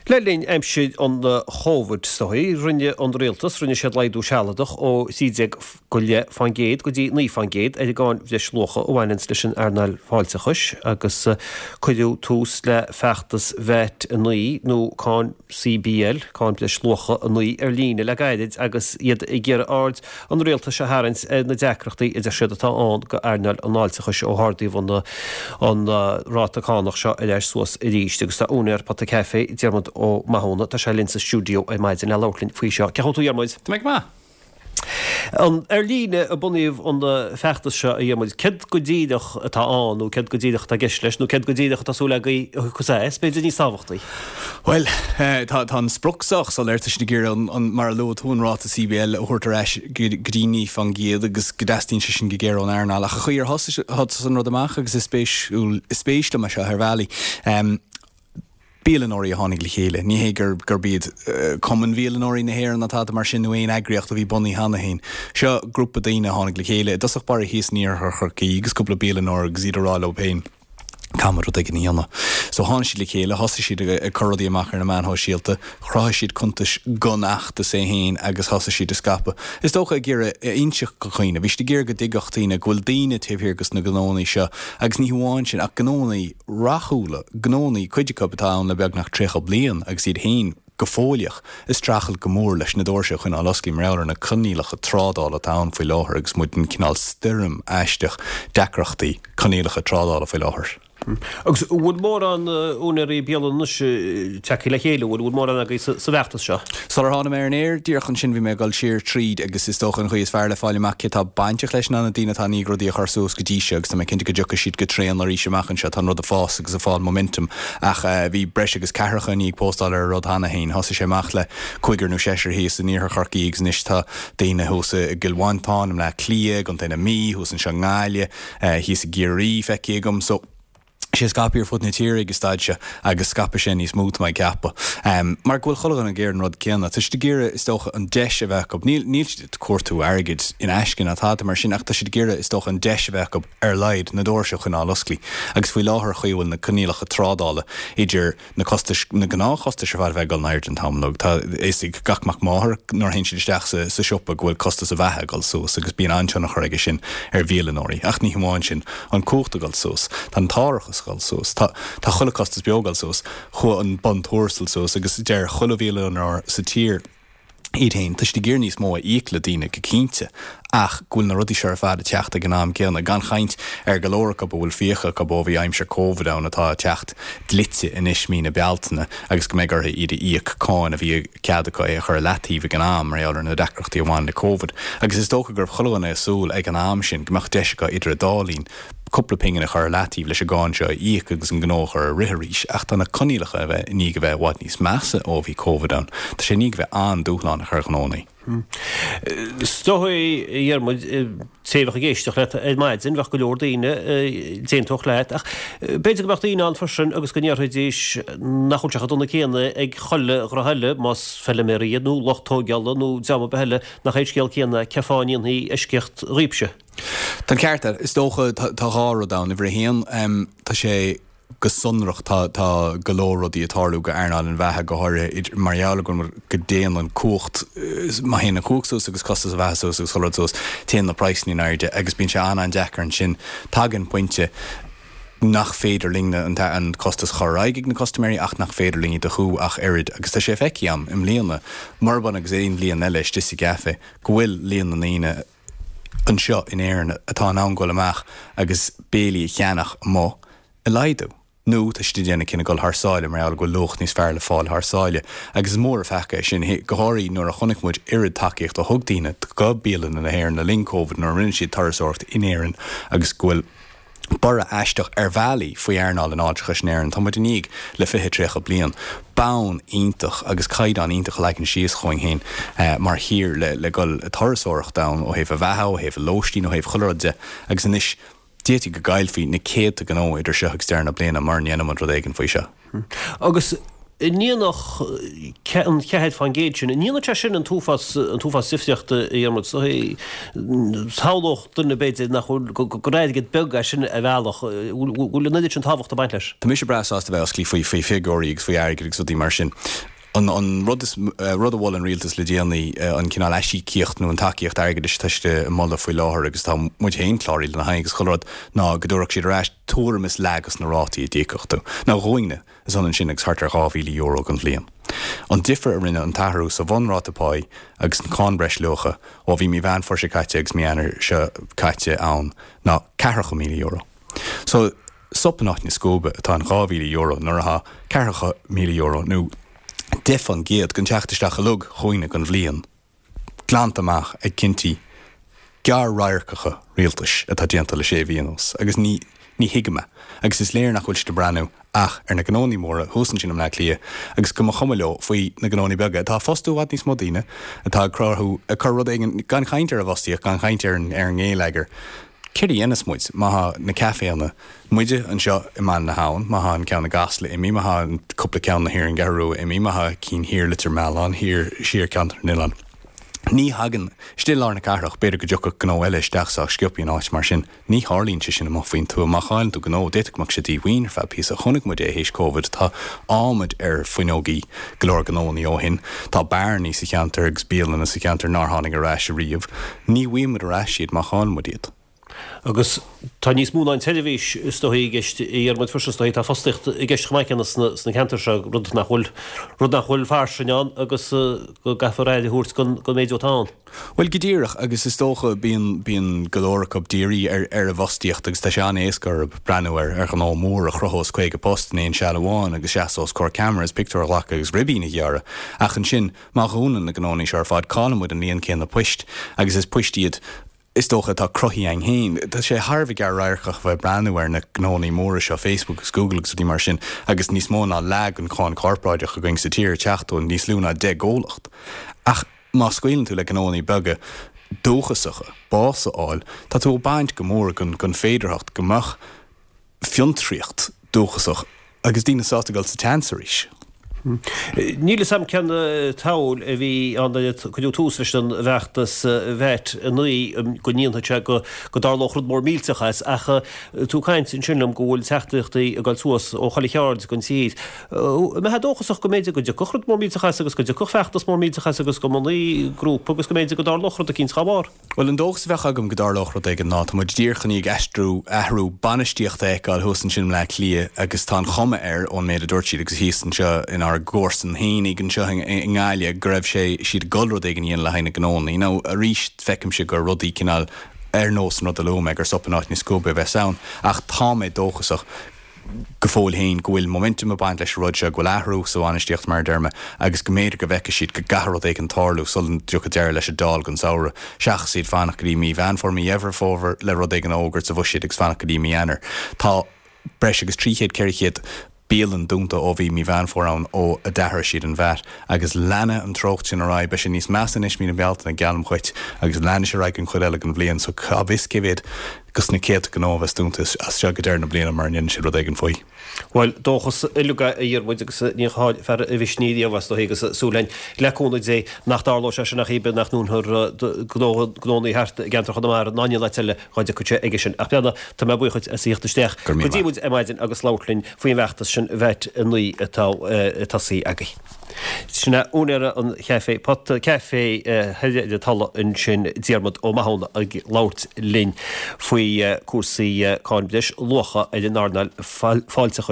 Le linn aimsir an Chóbhaid is dóigh, rinne an rialtas, rinne siad laghdú sealadach ó 13.5% go dtí 9% ar an gcáin bhreisluacha a bhaineanns leis an earnáil fáilteachais agus cuireadh tús le feachtas VAT 9 nó cáin CBL, Cáin Bhreisluacha 9, ar líne le gairid agus iad ag iarraidh aird an rialtais a tharraingt ar na deacrachtaí a deir siad atá ann go earnáil an fháilteachais ó hardaíodh an ráta cánach seo ar ais suas arís. Agus tá úinéir Pota Café, Diarmuid Ó Mathúna, tá sé linn sa stiúideo ar maidin le labhairt linn faoi seo. Cén chaoi a bhfuil tú a Dhiarmuid? Tá mé go maith. Ar líne a bunaíodh an feachtas seo, a Dhiarmuid. Céard go díreach atá ann nó céard go díreach atá i gceist leis nó céard go díreach atá súil agaibh a thiocfas as, b'fhéidir níos tábhachtaí? Bhuel, tá an sprioc sách soiléir. Tá siad ag iarraidh an, mar a luaigh tú, an ráta CBL a thabhairt ar ais go dtí 9% agus go dteastaíonn sé sin go géar ón earnáil. Ach an chaoi ar thosaigh an rud amach agus is spéisiúil, is spéis liom é seo ar bhealaí, bialannóirí a tháinig le chéile. Ní hé gurb iad Cumann Bhialannóirí na hÉireann ná tada mar sin nó aon eagraíocht a bhí bunaithe cheana féin. Seo grúpa daoine a tháinig le chéile, i dtosach báire thíos in iarthar Chorcaí agus cúpla bialannóir agus iad ag rá leo féin, caithfidh muid rud éigin a dhéanamh. So tháinig siad le chéile, thosaigh siad ag cur rudaí amach ar na meáin shóisialta, chruthaigh siad cuntais don fheachtas é féin agus thosaigh siad ag scaipeadh. Is dócha ag iarraidh a inseacht do dhaoine, bhí siad ag iarraidh go dtuigfeadh daoine go bhfuil daoine taobh thiar dos na gnónnaí seo agus ní hamháin sin ach gnónnaí rathúla, gnónnaí, cuid acu atá ann le beagnach 30 bliain agus iad féin go fóilleach ag streachailt go mór leis na doirse a choinneáil oscailte mar gheall ar na coinníollacha trádála atá ann faoi láthair agus muid in cineál stoirm aisteach deacrachtaí coinníollacha trádála faoi láthair. Agus an bhfuil mórán úinéirí bialann anois tagtha le chéile, an bhfuil mórán agaibh sa bhfeachtas seo? Sular tháinig mé ar an aer, díreach ansin, bhí mé ag dul siar tríd agus is dócha an chaoi is fearr le fáil amach cé tá bainteach leis ná na daoine atá i ndiaidh rudaí a chur suas go dtí seo agus tá mé cinnte go dtiocfaidh siad go tréan arís amach anseo, tá an rud ag fás agus ag fáil momentum ach bhí breis agus ceathracha i ndiaidh póstáil ar an rud cheana féin. Thosaigh sé amach le cúigear nó seisear thíos in iarthar Chorcaí agus anois tá daoine thuas i gCill Mhantáin, i mBleá Cliath, i gContae na Mí, thuas anseo i nGaillimh, thíos i gCiarraí feicthe agam. So. sé scaipthe ar fud na tíre ag an staid seo agus scaipfidh sé níos mó, tá mé ag ceapadh. Mar go bhfuil chuile dhuine ag iarraidh an rud céanna. Tá siad ag iarraidh, is dócha, an deis a bheith acu, níl, níl siad ag cuartú airgid in aisce ná tada mar sin ach tá siad ag iarraidh, is dócha, an deis a bheith acu ar a laghad na doirse a choinneáil oscailte. Agus faoi láthair, chaoi a bhfuil na coinníollacha trádála idir na costais, na gnáthchostais ar fad a bheith ag dul in airde an t-am uilig. Tá a fhios ag gach mac máthar nuair a théann siad isteach sa sa siopa go bhfuil costas a bheatha ag dul suas agus bíonn an-tionchar aige sin ar bhialannóirí. Ach ní hamháin sin, an cumhacht ag dul suas, tá an t-árachas ag dul suas, tá tá chuile costas beo ag dul suas, chuaigh an bun tuarastail suas agus deir chuile bhialannóir sa tír, iad féin. Tá siad ag iarraidh níos mó a íoc le daoine, go cinnte, ach go bhfuil na rudaí seo ar fad ag teacht ag an am céanna, gan chaint ar go leor acu a bhfuil fiacha acu ó bhí aimsir Covid ann atá ag teacht dlite anois mí na Bealtaine agus go mbeidh orthu iad a íoc, cáin a bhí cead acu é a chur i leataobh ag an am mar gheall ar na deacrachtaí a bhain le Covid. Agus is dócha go raibh chuile dhuine ag súil ag an am sin go mbeadh deis acu idir an dá linn cúpla pingin a chur ar leataobh leis an gcáin seo a íoc agus an gnó a chur ag rith arís ach tá na coinníollacha a bheith i ndiaidh a bheith i bhfad níos measa ó bhí Covid ann. Tá sé i ndiaidh a bheith an-dúshlánach ar ghnónnaí. Is dóigh, a Dhiarmuid, té a bheadh ag éisteacht leat ar maidin, bheadh go leor daoine a d'aontódh leat ach b'fhéidir go mbeadh daoine ann freisin agus go ndéarfaidís nach bhfuil sé chomh dona céanna ag chuile ghnó eile, más feiliméaraí iad nó lucht tóigeála nó dream ar bith eile, nach é an scéal céanna, cén fáth a ndéanfaí eisceacht dhaoibhse? Tá an ceart agat. Is dócha, tá dhá rud ann. Uimhir a haon, tá sé go sonrach, tá tá go leor rudaí ag tarlú go earnáil an bheatha, go háirithe mar gheall go go dtéann an cumhacht, má théann an cumhacht suas agus costas a bheatha suas agus chuile rud suas, téann na praghsanna in airde agus bíonn sé an-an-deacair ansin. Tagann pointe nach féidir linn an an costas a chur ar aghaidh ag na custaiméirí ach nach féidir linn iad a chú ach oiread agus tá sé feicthe agam i mbliana, murab ionann agus aon bhliain eile istigh sa gcaife, go bhfuil líon na ndaoine anseo in Éirinn atá in ann goil amach agus béilí a cheannach amuigh ag laghdú. Nó tá siad ag déanamh cinneadh dul thar sáile mar gheall go bhfuil luach níos fearr le fáil thar sáile. Agus is mór an pheaca é sin, go háirithe nuair a chonaic muid oiread tacaíocht a thug daoine go bialanna na hÉireann le linn Covid nuair a rinne siad turasóireacht in Éirinn agus go bhfuil borradh aisteach ar bhealaí faoi earnáil an fháilteachais in Éirinn. Tá muid i ndiaidh le 20, 30 bliain bonn iontach agus caighdeán iontach a leagan síos chugainn féin mar thír le le dhul ag turasóireacht ann ó thaobh a bheatha, ó thaobh a lóistín, ó thaobh chuile rud de agus anois d'fhéadfaí go gcaillfí na céadta gnó idir seo agus deireadh na bliana mura ndéanann muid rud éigin faoi seo. Agus. An ndéanfadh an 4% sin, an ndéanfadh sé sin an t-uafás, an t-uafás difríochta a Dhiarmuid? Shamhlódh duine b'fhéidir nach bhfuil, gur airgead beag é sin ar bhealach. Bhfuil an oiread sin tábhachta ag baint leis? Tá mise breá sásta bheith osclaí faoi, faoi figiúirí agus faoi airgead agus rudaí mar sin. An, an rud is, rud a mhol an rialtas le déanaí, an cineál aisíocaíocht nó an tacaíocht airgeadais atá siad ag moladh faoi láthair agus tá muid féin cláraithe lena haghaidh agus chuile rud, ná go dtabharfadh siad ar ais tuairim is leath dos na rátaí a d'íocfadh tú. Now dhúinne. Is ionann sin agus thart ar €2,000 don bhliain. An difear a rinne an t-athrú sa bhunráta páí agus an cáin breisluacha ó bhí mí Mheán Fómhair seo caite agus mí Eanáir seo caite ann ná ceathracha €1,000. So, sop in áit na scuaibe atá in €2,000 nuair atá ceathracha €1,000 nó 10% den teacht isteach uilig dhúinne don bhliain. glanta amach ag cinntí gearr-radharcacha rialtais atá déanta le sé mhí anuas agus ní ní thuigim é agus is léir nach bhfuil siad ag breathnú ach ar na gnónnaí móra thuas ansin i mBleá Cliath agus go mba chuma leo faoi na gnónnaí beaga atá ag fostú i bhfad níos mó daoine atá ag cruthú ag cur rud éigin gan chaint ar an bhfostaíocht gan chaint ar an ar an ngeilleagar. Céard a dhéanfas muid má thá na caiféanna, muide anseo i mBaile na hAbhann, má thá an ceann i gCasla imithe, má thá an cúpla ceann thiar ar an gCeathrú Rua imithe, má thá cinn thiar Leitir Mealláin, thiar, siar Ceantar na nOileán. Ní thagann, istigh i lár na cathrach, b'fhéidir go dtiocfadh gnó eile isteach sách sciobtha in áit mar sin. Ní tharlaíonn sé sin amuigh faoin tuath. Má chailleann tú gnó, d'fhéadfadh go mbeadh sé díomhaoin ar feadh píosa. Chonaic muid é théis Covid. Tá adhmad ar fuinneogaí go leor gnóannaí ó shin. Tá beárannaí sa cheantar agus bialanna sa cheantar nár tháinig ar ais ariamh. Ní bhfaighidh muid ar ais iad má chailleann muid iad. Agus tá níos mó ná an tseirbhís is dóichí i gceist a Dhiarmuid freisin is dóichí tá fostaíocht i gceist chomh maith céanna sna ceantair seo, rud nach bhfuil, rud nach bhfuil fairsing ann agus go gcaithfear aire a thabhairt don méid atá ann. Bhuel go díreach agus is dócha bíonn, bíonn go leor acu dírithe ar, ar an bhfostaíocht agus tá sé an-éasca orthu breathnú ar, ar ghnó mór a chruthós 50 post in aon seal amháin agus seasamh os comhair ceamara is pictiúr a ghlacadh agus ribín a ghearradh ach ansin Má dhúnann na gnónnaí seo ar fad, cailleann muid an líon céanna poist, agus is poist iad, is dócha, atá cruthaithe againn féin. Tá sé thar a bheith gearr-radharcach a bheith ag breathnú ar na gnónnaí móra seo, Facebook agus Google agus rudaí mar sin, agus níos mó ná leath den cháin chorparáideach againn sa tír ag teacht ó níos lú ná 10 gcomhlacht. Ach má scaoileann tú le gnónnaí beaga dúchasacha bás a fháil, tá tú ag baint go mór den féidearthacht go mbeadh fiontraíocht dúchasach agus daoine sásta dul sa tseans arís. Níl fhios a'm cén tsamhail a bhí ann nuair a cuireadh tús leis an bhfeachtas VAT 9 go ndéanfadh sé go dtarlódh rud mór millteach as ach tú ag caint ansin liom go bhfuil teachtaireachtaí ag dul suas ó chuile cheard den tír. An mbeifeá dóchasach go mb'fhéidir go dtiocfadh rud mór millteach as agus go dtiocfadh feachtas mór millteach as agus go mbunófaí grúpa agus go mb'fhéidir go dtarlódh rud eicínt dhá bharr? Bhuel, an dóchas a bheadh agam go dtarlódh rud éigin ná tá muid díreach i ndiaidh aistriú, athrú bainistíochta a fheiceáil thuas ansin i mBleá Cliath agus tá an chuma air, ón méid a dúirt siad agus thíos anseo inár gcomharsain fhéinig anseo i nGaillimh, go raibh sé, siad ag dul rud éigin a dhéanamh le haghaidh na ngnónnaí. Now, arís, feicimse gur rudaí cineál ar nós an rud a luaigh mé, gur sop in áit na scuaibe a bheas ann, ach tá mé dóchasach. go fóill féin go bhfuil momentum ag baint leis an rud seo, go bhfuil athrú sa bhainistíocht mar a deir mé agus go mb'fhéidir go bhfeicfidh siad go gcaithfidh rud éigin tarlú sula dtiocfaidh deireadh leis an Dáil don samhradh, seachas iad fanacht go dtí mí Mheán Fómhair, mí Dheireadh Fómhair le rud éigin a fhógairt sa bhuiséad agus fanacht go dtí mí Eanáir. Tá breis agus 300, 400 bialann dúnta ó bhí mí Mheán Fómhair ann ó a d'athraigh siad an VAT agus leanfaidh an treocht sin ar aghaidh. Beidh sé níos measa anois mí na Bealtaine, geallaim dhuit, agus leanfaidh sé ar aghaidh don chuid eile den bhliain so cá bhfios cé mhéad dos na céadta gnó a bheas dúnta as seo go deireadh na bliana mura ndéanann siad rud éigin faoi. Bhuel, dóchas uilig é a Dhiarmuid agus ní chaill fear a mhisnigh riamh is dóichí agus súil againn le cúnamh Dé nach dtarlóidh sé sin ach cibé nach ndúnfar gnónnaí thart i gceantar Chonamara ná in aon áit eile dhá dtiocfadh sé aige sin. Ach breathnaigh, tá mé buíoch dhuit as a thíocht isteach Go raibh míle go dtí maith. muid ar maidin agus labhairt linn faoin bhfeachtas sin VAT 9 atá tosaithe agaibh. Sin é úinéara an chaifé, Pota Caife thoir ar an Tulaigh ansin, Diarmuid Ó Mathúna ag labhairt linn faoi cúrsaí cáin breis luacha ar an earnáil fáilteachais.